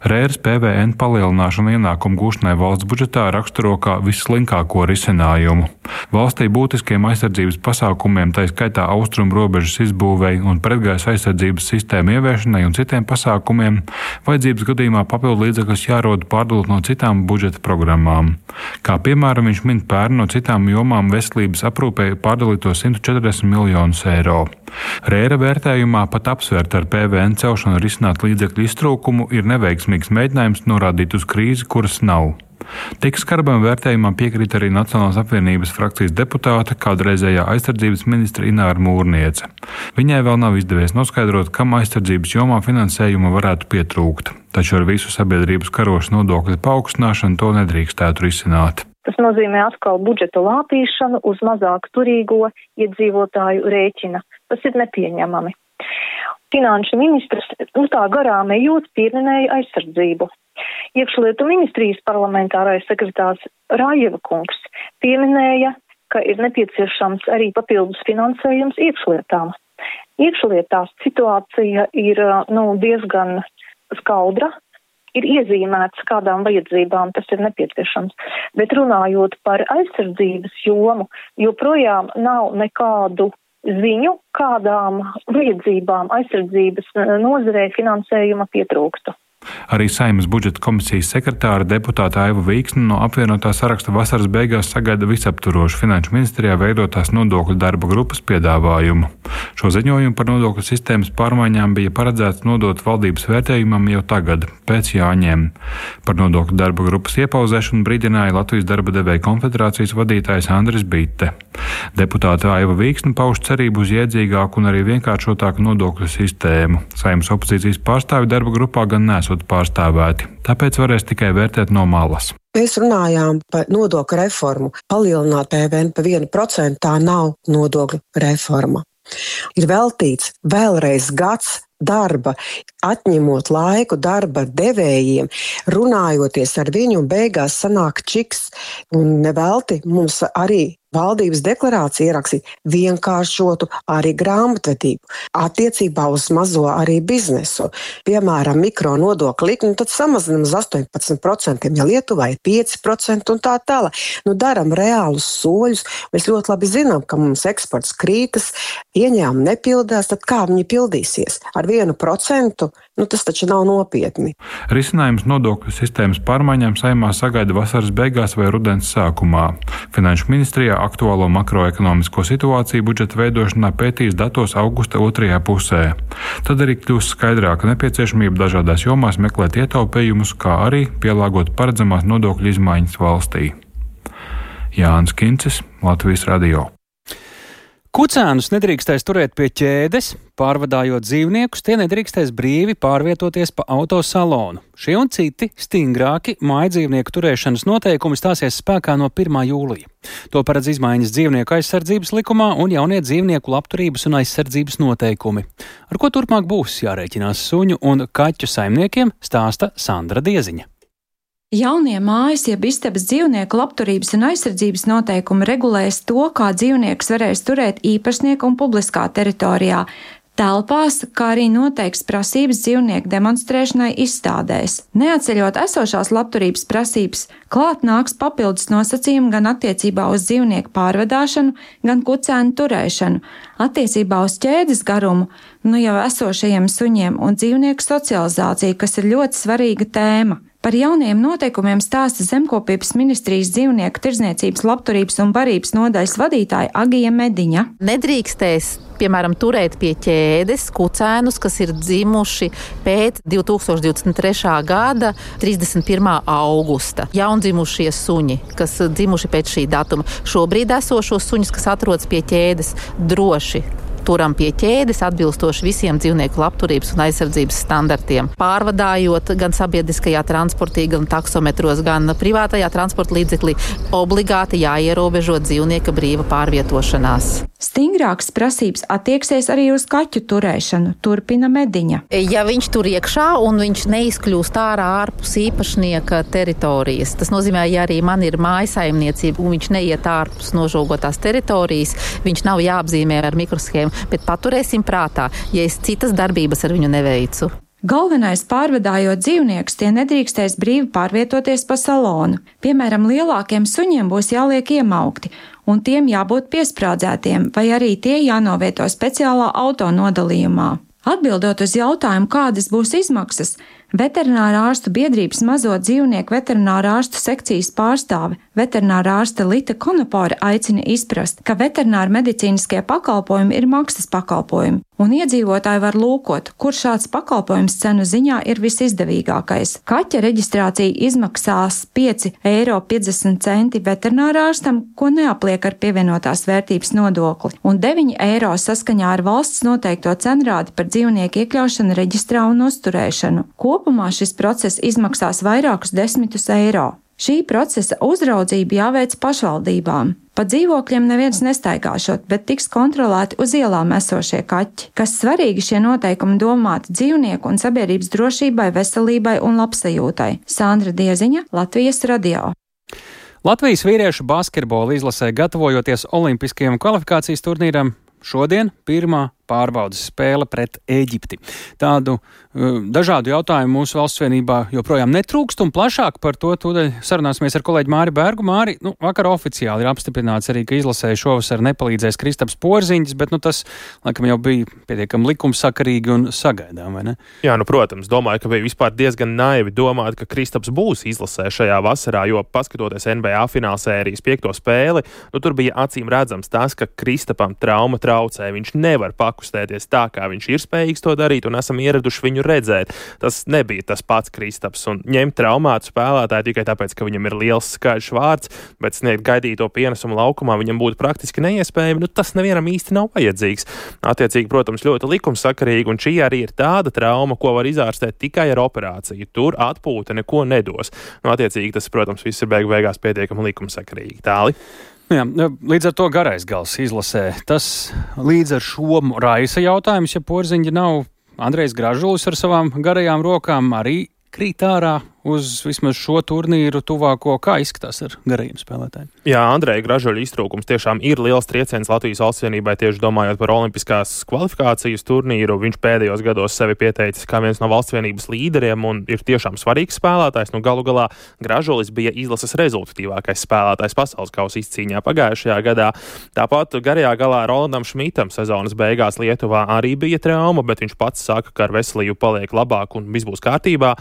Speaker 16: Rēras PVN palielināšana ienākumu gūšanai valsts budžetā raksturo kā visslinkāko risinājumu. Valstī būtiskiem aizsardzības pasākumiem, tā skaitā austrumu robežas izbūvei un pretgaisa aizsardzības sistēmu ieviešanai un citiem pasākumiem, vajadzības gadījumā papildu līdzekļus jārod pārdalot no citām budžeta programmām. Kā piemēram viņš min pērn no citām jomām veselības aprūpei pārdalīto 140 miljonus eiro. Rēra vērtējumā pat apsvērt ar PVN celšanu risināt līdzekļu iztrūkumu ir neveiksmīgs mēģinājums norādīt uz krīzi, kuras nav. Tik skarbam vērtējumā piekrīt arī Nacionālās apvienības frakcijas deputāte, kādreizējā aizsardzības ministra Ināra Mūrniece. Viņai vēl nav izdevies noskaidrot, kam aizsardzības jomā finansējuma varētu pietrūkt, taču ar visu sabiedrības karošu nodokļu paaugstināšanu to nedrīkstētu risināt.
Speaker 18: Tas nozīmē atkal budžeta lāpīšanu uz mazāk turīgo iedzīvotāju rēķina. Tas ir nepieņemami. Finanšu ministrs tā garām ejot pieminēja aizsardzību. Iekšlietu ministrijas parlamentārais sekretārs Rājeva kungs pieminēja, ka ir nepieciešams arī papildus finansējums iekšlietām. Iekšlietās situācija ir diezgan skaudra. Ir iezīmēts, kādām vajadzībām tas ir nepieciešams. Bet runājot par aizsardzības jomu, joprojām nav nekādu ziņu, kādām vajadzībām aizsardzības nozarē finansējuma pietrūkstu.
Speaker 16: Arī Saeimas budžeta komisijas sekretāra deputāta Aiva Vīksne no apvienotā saraksta vasaras beigās sagaida visaptvarošu finanšu ministrijā veidotās nodokļu darba grupas piedāvājumu. Šo ziņojumu par nodokļu sistēmas pārmaiņām bija paredzēts nodot valdības vērtējumam jau tagad, pēc Jāņiem. Par nodokļu darba grupas iepauzēšanu brīdināja Latvijas darba devēju konfederācijas vadītājs Andris Bitte. Deputāta Aiva Vīksne pauž cerību uz jēdzīgāku un arī vienkāršotāku nodokļu sistēmu. Saeimas opozīcijas pārstāvi darba grupā gan nesot pārstāvēti, tāpēc varēs tikai vērtēt no malas.
Speaker 19: Mēs runājām par nodokļu reformu. Palielināt PVN pa 1%, tā nav nodokļu reforma. Ir veltīts vēlreiz gads darba, atņemot laiku darba devējiem, runājoties ar viņu, un beigās sanāk čiks. Un nevelti mums arī valdības deklarācija ierakstīt vienkāršotu arī grāmatvedību attiecībā uz mazo arī biznesu. Piemēram, mikro nodokļu likmi, tad samazinam uz 18%, ja Lietuvā ir 5% un tā tālāk. Daram reālus soļus. Mēs ļoti labi zinām, ka mums eksports krītas, ieņēmumi nepildās, tad kā viņi pildīsies? Ar 1%, tas taču nav nopietni.
Speaker 16: Risinājums nodokļu sistēmas pārmaiņām Saeimā sagaida vasaras beigās vai rudens sākumā. Finanšu ministrijā aktuālo makroekonomisko situāciju budžeta veidošanā pētīs datos augusta otrajā pusē. Tad arī kļūs skaidrāka nepieciešamība dažādās jomās meklēt ietaupījumus, kā arī pielāgot paredzamās nodokļu izmaiņas valstī. Jānis Kincis, Latvijas radio.
Speaker 1: Kucēnus nedrīkstēs turēt pie ķēdes, pārvadājot dzīvniekus, tie nedrīkstēs brīvi pārvietoties pa autosalonu. Šie un citi stingrāki mājdzīvnieku turēšanas noteikumi stāsies spēkā no 1. jūlija. To paredz izmaiņas dzīvnieku aizsardzības likumā un jaunie dzīvnieku labturības un aizsardzības noteikumi. Ar ko turpmāk būs jārēķinās suņu un kaķu saimniekiem, stāsta Sandra Dieziņa.
Speaker 20: Jaunie mājas jeb istabas dzīvnieku labturības un aizsardzības noteikumi regulēs to, kā dzīvniekus varēs turēt īpašnieku un publiskā teritorijā, telpās, kā arī noteiks prasības dzīvnieku demonstrēšanai izstādēs. Neatceļot esošās labturības prasības, klāt nāks papildus nosacījumi gan attiecībā uz dzīvnieku pārvadāšanu, gan kucēnu turēšanu, attiecībā uz ķēdes garumu, jau esošajiem suņiem un dzīvnieku socializāciju, kas ir ļoti svarīga tēma. Par jauniem noteikumiem stāsta Zemkopības ministrijas dzīvnieku tirdzniecības labturības un barības nodaļas vadītāja Agija Mediņa.
Speaker 21: Nedrīkstēs, piemēram, turēt pie ķēdes kucēnus, kas ir dzimuši pēc 2023. gada 31. augusta. Jaundzimušie suņi, kas dzimuši pēc šī datuma. Šobrīd esošos suņus, kas atrodas pie ķēdes, droši turam pie ķēdes atbilstoši visiem dzīvnieku labturības un aizsardzības standartiem. Pārvadājot gan sabiedriskajā transportī, gan taksometros, gan privātajā transporta līdzeklī, obligāti jāierobežo dzīvnieka brīva pārvietošanās.
Speaker 20: Stingrākas prasības attieksies arī uz kaķu turēšanu, turpina Mediņa.
Speaker 21: Ja viņš tur iekšā un viņš neizkļūst ārā ārpus īpašnieka teritorijas, tas nozīmē, ja arī man ir mājasaimniecība un viņš neiet ārpus nožogotās teritorijas, viņš nav jāapzīmē ar mikroshēmu, bet paturēsim prātā, ja es citas darbības ar viņu neveicu.
Speaker 20: Galvenais pārvadājot dzīvniekus, tie nedrīkstēs brīvi pārvietoties pa salonu. Piemēram, lielākiem suņiem būs jāliek iemaukti, un tiem jābūt piesprādzētiem, vai arī tie jānovieto speciālā auto nodalījumā. Atbildot uz jautājumu, kādas būs izmaksas, Veterinārā ārstu biedrības mazo dzīvnieku veterinārā ārstu sekcijas pārstāve, veterinārā ārste Lita Konopore aicina izprast, ka veterināra medicīniskie pakalpojumi ir maksas pakalpojumi, un iedzīvotāji var lūkot, kur šāds pakalpojums cenu ziņā ir visizdevīgākais. Kaķa reģistrācija izmaksās 5,50 eiro veterinārā ārstam, ko neapliek ar pievienotās vērtības nodokli, un 9 eiro saskaņā ar valsts noteikto cenrādi par dzīvnieku iekļaušanu reģistrā un uzturēšanu. Kopumā šis process izmaksās vairākus 10 eiro. Šī procesa uzraudzība jāveic pašvaldībām. Pa dzīvokļiem neviens nestaigāšot, bet tiks kontrolēti uz ielām esošie kaķi. Kas svarīgi, šie noteikumi domāti dzīvnieku un sabiedrības drošībai, veselībai un labsajūtai. Sandra Dieziņa, Latvijas radio.
Speaker 1: Latvijas vīriešu basketbola izlasē gatavojoties olimpiskajam kvalifikācijas turnīram, šodien pirmā pārbaudas spēle pret Ēģipti. Tādu dažādu jautājumu mūsu valsts vienībā joprojām netrūkst, un plašāk par to tūdaļ sarunāsimies ar kolēģi Māri Bergu. Māri, vakar oficiāli ir apstiprināts arī, ka izlasēji šovasar nepalīdzēs Kristaps Porziņš, bet tas, laikam, jau bija pietiekami likumsakarīgi un sagaidām, vai ne?
Speaker 5: Jā, protams, domāju, ka bija vispār diezgan naivi domāt, ka Kristaps būs izlasē šajā vasarā, jo paskatoties NBA finālsērijas 5. spēli, tur bija acīm redzams tas, ka Kristapam trauma traucē, viņš nevar pakustēties tā, kā viņš ir spējīgs to darīt, un esam ieraduši viņu redzēt. Tas nebija tas pats Kristaps, un ņemt traumātu spēlētāju tikai tāpēc, ka viņam ir liels skaļš vārds, bet sniegt gaidīto pienesumu laukumā viņam būtu praktiski neiespējami, tas nevienam īsti nav vajadzīgs. Attiecīgi, protams, ļoti likumsakarīgi, un šī arī ir tāda trauma, ko var izārstēt tikai ar operāciju. Tur atpūta neko nedos. Attiecīgi, tas, protams, viss ir beigās pietiekami likumsakarīgi. Tāli?
Speaker 1: Jā, līdz ar to garais gals izlasē. Tas līdz ar šo raisa jautājums, ja Porziņa nav Andrejs Gražulis ar savām garajām rokām, arī krīt ārā uz vismaz šo turnīru tuvāko, kā izskatās ar garajiem spēlētājiem.
Speaker 5: Jā, Andreja Gražuļa iztrūkums tiešām ir liels trieciens Latvijas valsts vienībai, tieši domājot par olimpiskās kvalifikācijas turnīru. Viņš pēdējos gados sevi pieteicis kā viens no valsts vienības līderiem un ir tiešām svarīgs spēlētājs. Galu galā Gražulis bija izlases rezultatīvākais spēlētājs pasaules kausa izcīņā pagājušajā gadā. Tāpat garajā galā Rolandam Šmitam sezonas beigās Lietuvā arī bija trauma, bet viņš pats saka, ka ar veselību paliek labāk un viss būs kārtībā.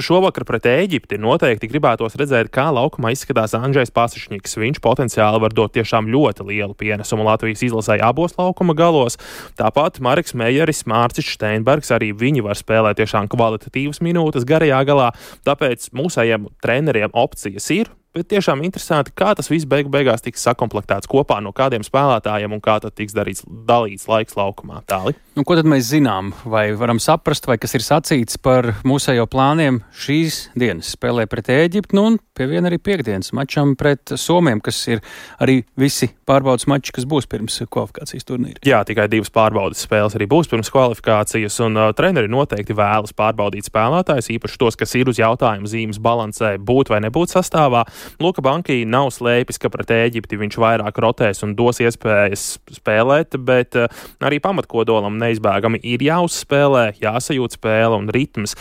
Speaker 5: Šovakar pret Ēģipti noteikti gribētos redzēt, kā laukumā izskatās Andžejs Pasišņiks. Viņš potenciāli var dot tiešām ļoti lielu pienesumu Latvijas izlasē abos laukuma galos. Tāpat Mareks Mejeris, Mārcis Steinbergs, arī viņi var spēlēt tiešām kvalitatīvas minūtes garajā galā. Tāpēc mūsējiem treneriem opcijas ir. Bet tiešām interesanti, kā tas viss beigās tiks sakomplektēts kopā no kādiem spēlētājiem un kā tad tiks dalīts laiks laukumā. Tāli?
Speaker 1: Ko tad mēs zinām? Vai varam saprast, vai kas ir sacīts par mūsējo plāniem šīs dienas spēlē pret Ēģipti, un pie viena arī piekdienas mačam pret Somiem, kas ir arī visi pārbaudas mači, kas būs pirms kvalifikācijas turnīra?
Speaker 5: Jā, tikai 2 pārbaudas spēles arī būs pirms kvalifikācijas, un treneri noteikti vēlas pārbaudīt spēlētājus, īpaši tos, kas ir uz jautājumu zīmes balansē būt vai nebūt sastāvā. Luka Banki nav slēpis, ka pret Ēģipti viņš vairāk rotēs un dos iespējas spēlēt, bet arī pamatkodolam neizbēgami ir jāuzspēlē, jāsajūt spēle un ritms.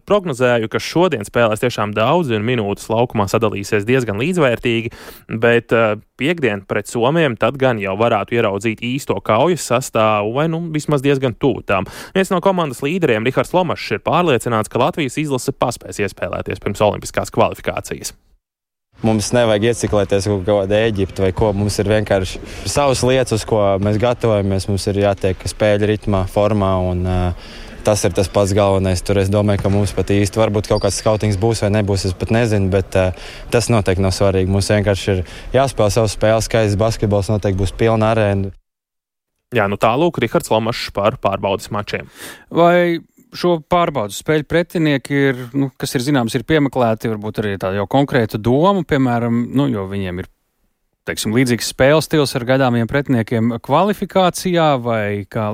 Speaker 5: Prognozēju, ka šodien spēlēs tiešām daudz un minūtes laukumā sadalīsies diezgan līdzvērtīgi, bet piekdien pret Somiem tad gan jau varētu ieraudzīt īsto kaujas sastāvu vai vismaz diezgan tūtām. Viens no komandas līderiem, Rihards Lomašs, ir pārliecināts, ka Latvijas izlase paspēs iespēlēties pirms olimpiskās kvalifikācijas.
Speaker 2: Mums nevajag ieciklēties kaut kādā Ēģipte vai ko. Mums ir vienkārši savas lietas, uz ko mēs gatavojamies. Mums ir jātiek spēļu ritmā, formā, un tas ir tas pats galvenais. Tur es domāju, ka mums pat īsti varbūt kaut kāds skautings būs vai nebūs, es pat nezinu, bet tas noteikti nav svarīgi. Mums vienkārši ir jāspēlē savas spēles, skaists basketbols, noteikti būs pilna arēna.
Speaker 5: Jā, tālūk Rihards Lomašs par pārbaudas mačiem.
Speaker 1: Vai šo pārbaudas spēļu pretinieki ir, kas ir zināms, ir piemeklēti, varbūt arī tāda jau konkrēta doma, piemēram, jo viņiem ir, teiksim, līdzīgs spēles stils ar gaidāmiem pretiniekiem kvalifikācijā vai kā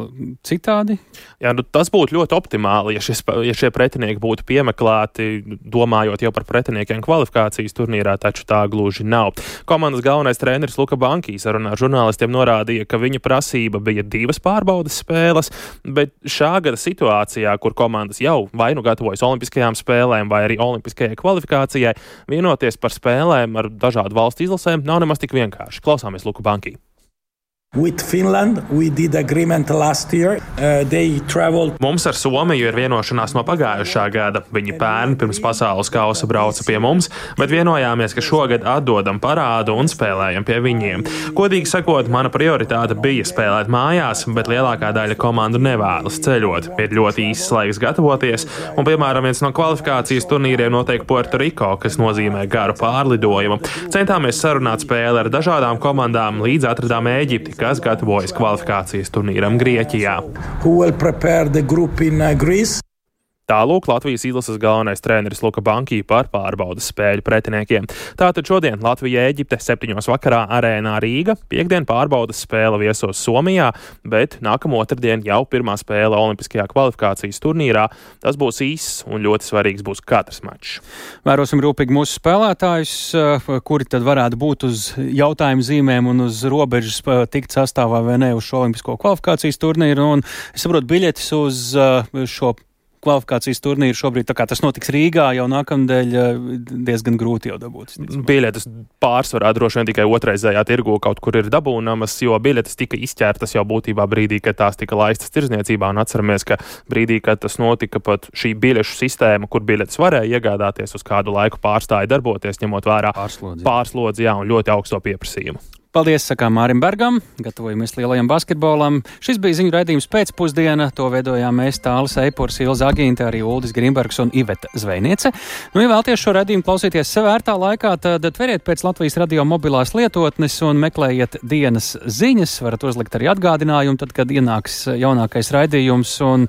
Speaker 1: citādi?
Speaker 5: Jā, tas būtu ļoti optimāli, ja šie pretinieki būtu piemeklēti, domājot jau par pretiniekiem kvalifikācijas turnīrā, taču tā gluži nav. Komandas galvenais treneris Luka Bankī sarunā ar žurnālistiem norādīja, ka viņa prasība bija 2 pārbaudas spēles, bet šā gada situācijā, kur komandas jau vai gatavojas olimpiskajām spēlēm vai arī olimpiskajai kvalifikācijai, vienoties par spēlēm ar dažādu valstu izlasēm nav nemaz tik vienkārši. Klausāmies Luku Bankī.
Speaker 3: With Finland, we did agreement last year. They traveled.
Speaker 5: Mums ar Somiju ir vienošanās no pagājušā gada. Viņi pērn pirms pasaules kausa brauca pie mums, bet vienojāmies, ka šogad atdodam parādu un spēlējam pie viņiem. Godīgi sakot, mana prioritāte bija spēlēt mājās, bet lielākā daļa komandu nevēlas ceļot. Ir ļoti īsts laiks gatavoties, un, piemēram, viens no kvalifikācijas turnīriem notiek Puerto Rico, kas nozīmē garu pārlidojumu. Centāmies sarunāt spēli ar dažādām komandām, līdz atradām Ēģipti, kas gatavojas kvalifikācijas turnīram Grieķijā. Tālūk Latvijas izlases galvenais treneris Luka Bankī par pārbaudas spēļu pretiniekiem. Tātad šodien Latvija-Ēģipte 7 vakarā arēnā Rīga, piektdien pārbaudas spēle viesos Somijā, bet nākamā otrdien jau pirmā spēle olimpiskajā kvalifikācijas turnīrā. Tas būs īss un ļoti svarīgs būs katrs mačs.
Speaker 1: Vērosim rūpīgi mūsu spēlētājus, kuri tad varētu būt uz jautājumu zīmēm un uz robežas tikt sastāvā vai ne uz šo olimpisko kvalifikācijas turnīru. Un es saprotu, biļetes uz šo kvalifikācijas turnīru šobrīd, tā kā tas notiks Rīgā, jau nākamdēļ diezgan grūti jau dabūt.
Speaker 5: Biļetes pārsvarā droši vien tikai otraizējā tirgu kaut kur ir dabūnamas, jo biļetes tika izķērtas jau būtībā brīdī, kad tās tika laistas tirdzniecībā, un atceramies, ka brīdī, kad tas notika, pat šī biļešu sistēma, kur biļetes varēja iegādāties uz kādu laiku pārstāja darboties, ņemot vērā pārslodzi, jā, un ļoti augsto pieprasījumu.
Speaker 1: Paldies, sakām Mārim Bergam, gatavojamies lielajam basketbolam. Šis bija ziņu raidījums pēcpusdiena, to veidojām mēs Tālis Eipurs, Ilza Agīnte, arī Uldis Grimbergs un Iveta Zvejniece. Ja vēlties šo raidījumu klausīties sev ērtā laikā, tad tveriet pēc Latvijas radio mobilās lietotnes un meklējiet dienas ziņas, varat uzlikt arī atgādinājumu, tad, kad ienāks jaunākais raidījums un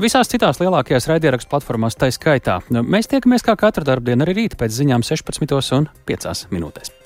Speaker 1: visās citās lielākajās raidierakstu platformās tai skaitā. Mēs tiekamies kā katru darbdienu arī rīt pēc ziņām 16:05.